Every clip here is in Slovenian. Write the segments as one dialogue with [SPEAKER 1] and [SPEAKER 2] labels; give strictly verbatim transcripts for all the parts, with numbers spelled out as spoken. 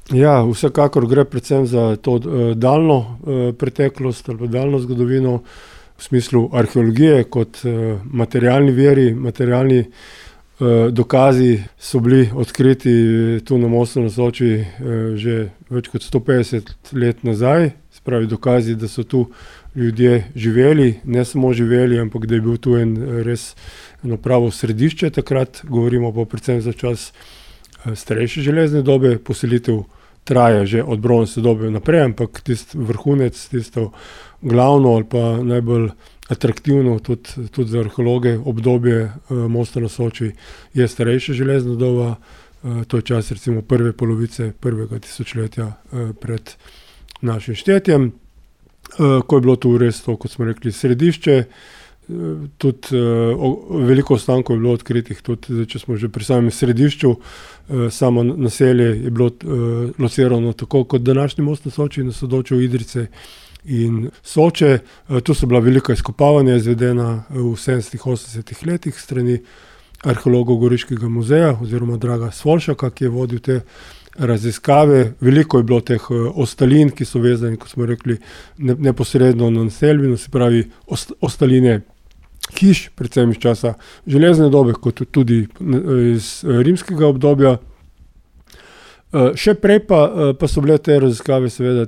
[SPEAKER 1] Ja, vsekakor gre predvsem za to uh, daljno uh, preteklost ali daljno zgodovino v smislu arheologije kot uh, materialni viri, materialni uh, dokazi so bili odkriti tu na Mostu na Soči uh, že več kot sto petdeset let nazaj, se pravi dokazi, da so tu ljudje živeli, ne samo živeli, ampak da je bil tu en res eno pravo središče takrat, govorimo pa predvsem za čas uh, starejše železne dobe, poselitev traja že od bronzne dobe naprej, ampak tisti vrhunec, tisto glavno ali pa najbolj atraktivno tudi, tudi za arheologe obdobje uh, Mosta na Soči je starejša železna doba, uh, to je čas recimo prve polovice prvega tisočletja uh, pred našim štetjem, uh, ko je bilo tu res to, kot smo rekli, središče. Tudi uh, veliko ostankov je bilo odkritih, tudi zdaj, če smo že pri samem središču, uh, samo naselje je bilo uh, locirano tako kot današnji Most na Soči, na sodočju Idrijce in Soče. Uh, tu so bila velika izkopavanja izvedena v sedemdesetih, osemdesetih letih strani arheologov Goriškega muzeja oziroma Draga Svolšaka, ki je vodil te raziskave. Veliko je bilo teh uh, ostalin, ki so vezani, kot smo rekli, ne, neposredno na naselbino, se pravi ost, ostaline hiš, predvsem iz časa železne dobe, kot tudi iz rimskega obdobja. Še prej pa, pa so bile te raziskave seveda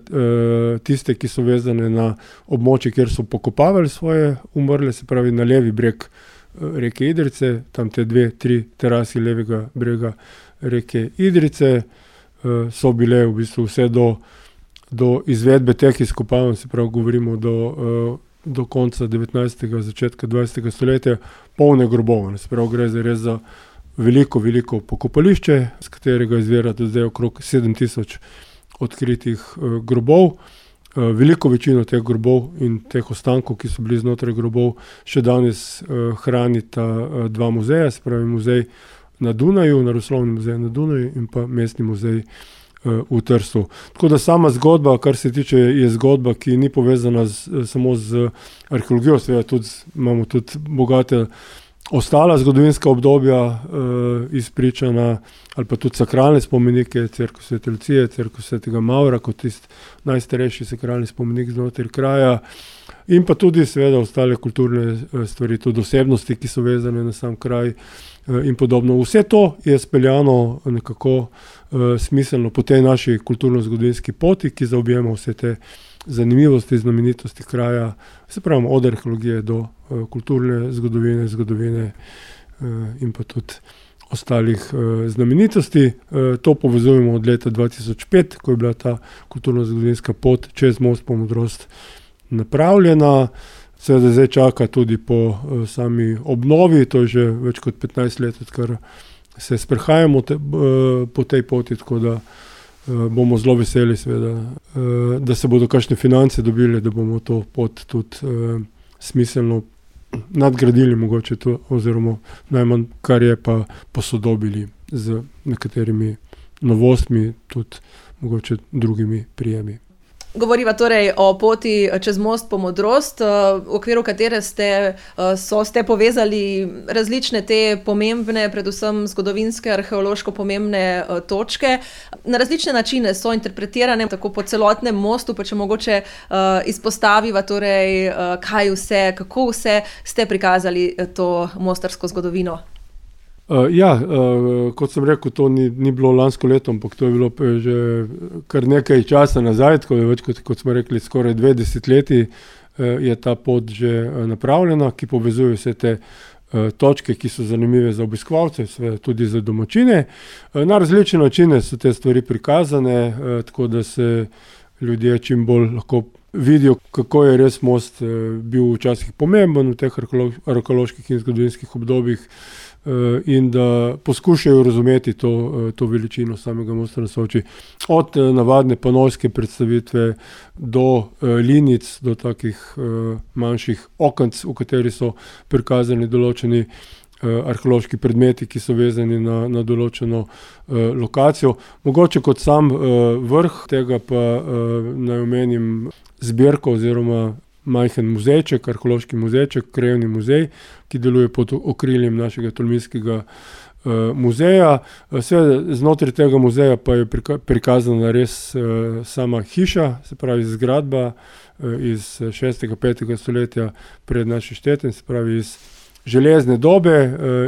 [SPEAKER 1] tiste, ki so vezane na območje, kjer so pokopavali svoje umrle, se pravi na levi breg reke Idrijce, tam te dve, tri terasi levega brega reke Idrijce so bile v bistvu vse do, do izvedbe teh izkopavanj, se pravi govorimo do do konca devetnajstega, začetka dvajsetega stoletja, polne grobov. Se pravi, gre za res za veliko, veliko pokopališče, z katerega izvira do zdaj okrog sedem tisoč odkritih uh, grobov. Uh, veliko večino teh grobov in teh ostankov, ki so bili znotraj grobov, še danes uh, hranita uh, dva muzeja, se pravi muzej na Dunaju, Naravoslovni muzej na Dunaju in pa Mestni muzej v Trstu. Tako da sama zgodba, kar se tiče, je zgodba, ki ni povezana z, samo z arheologijo, seveda tudi imamo tudi bogate ostala zgodovinska obdobja eh, izpričana, ali pa tudi sakralne spomenike, cerkev Svete Lucije, cerkev Svetega Mavra, kot tisti najstarejši sakralni spomenik znotraj kraja, in pa tudi seveda ostale kulturne stvari, tudi osebnosti, ki so vezane na sam kraj in podobno. Vse to je speljano nekako uh, smiselno po tej naši kulturno-zgodovinski poti, ki zaobjema vse te zanimivosti, znamenitosti kraja, se pravi od arheologije do uh, kulturne zgodovine, zgodovine uh, in pa tudi ostalih uh, znamenitosti. Uh, to povezujemo od leta dva tisoč pet, ko je bila ta kulturno-zgodovinska pot čez Most po Modrost napravljena. Seveda zdaj čaka tudi po uh, sami obnovi, to je že več kot petnajst let, odkar se sprehajamo te, uh, po tej poti, tako da uh, bomo zelo veseli, seveda, uh, da se bodo kakšne finance dobile, da bomo to pot tudi uh, smiselno nadgradili mogoče to, oziroma najmanj, kar je pa posodobili z nekaterimi novostmi, tudi mogoče drugimi prijemi.
[SPEAKER 2] Govoriva torej o poti čez Most po Modrost, v okviru katere ste, so, ste povezali različne te pomembne, predvsem zgodovinske, arheološko pomembne točke. Na različne načine so interpretirane, tako po celotnem mostu, pa če mogoče izpostaviva torej, kaj vse, kako vse ste prikazali to mostarsko zgodovino.
[SPEAKER 1] Uh, ja, uh, kot sem rekel, to ni, ni bilo lansko leto, ampak to je bilo že kar nekaj časa nazaj, tako da več kot, kot smo rekli, skoraj dve desetletji uh, je ta pot že uh, napravljena, ki povezuje vse te uh, točke, ki so zanimive za obiskovalce, seveda tudi za domačine. Uh, na različne načine so te stvari prikazane, uh, tako da se ljudje čim bolj lahko vidijo, kako je res most uh, bil včasih pomemben v teh arheoloških in zgodovinskih obdobjih, in da poskušajo razumeti to, to veličino samega Mosta na Soči. Od navadne panovske predstavitve do linic, do takih manjših okenc, v kateri so prikazani določeni arheološki predmeti, ki so vezani na, na določeno lokacijo. Mogoče kot sam vrh tega pa naj omenim zbirko oziroma majhen muzejček, arheološki muzejček, krajevni muzej, ki deluje pod okriljem našega tolminskega muzeja. Seveda znotraj tega muzeja pa je prikazana res sama hiša, se pravi zgradba iz šestega, petega stoletja pred našim štetjem, se pravi iz železne dobe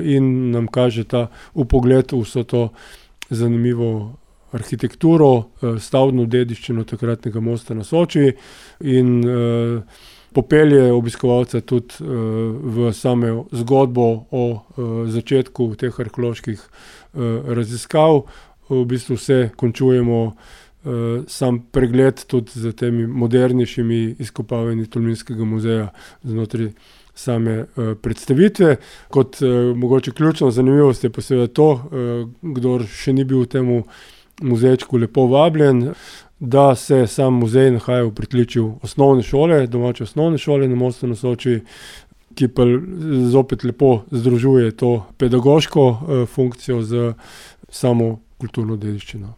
[SPEAKER 1] in nam kaže ta vpogled v vso to zanimivo arhitekturo, stavbno dediščino takratnega mosta na Soči in popelje obiskovalca tudi v samo zgodbo o začetku teh arheoloških raziskav. V bistvu vse končujemo sam pregled tudi z temi modernejšimi izkopavanji Tolminskega muzeja znotraj same predstavitve. Kot mogoče ključno zanimivost je pa seveda to, kdor še ni bil v temu muzejčku, lepo vabljen, da se sam muzej nahaja v pritličju osnovne šole, domače osnovne šole na Mostu na Soči, ki pa zopet lepo združuje to pedagoško funkcijo z samo kulturno dediščino.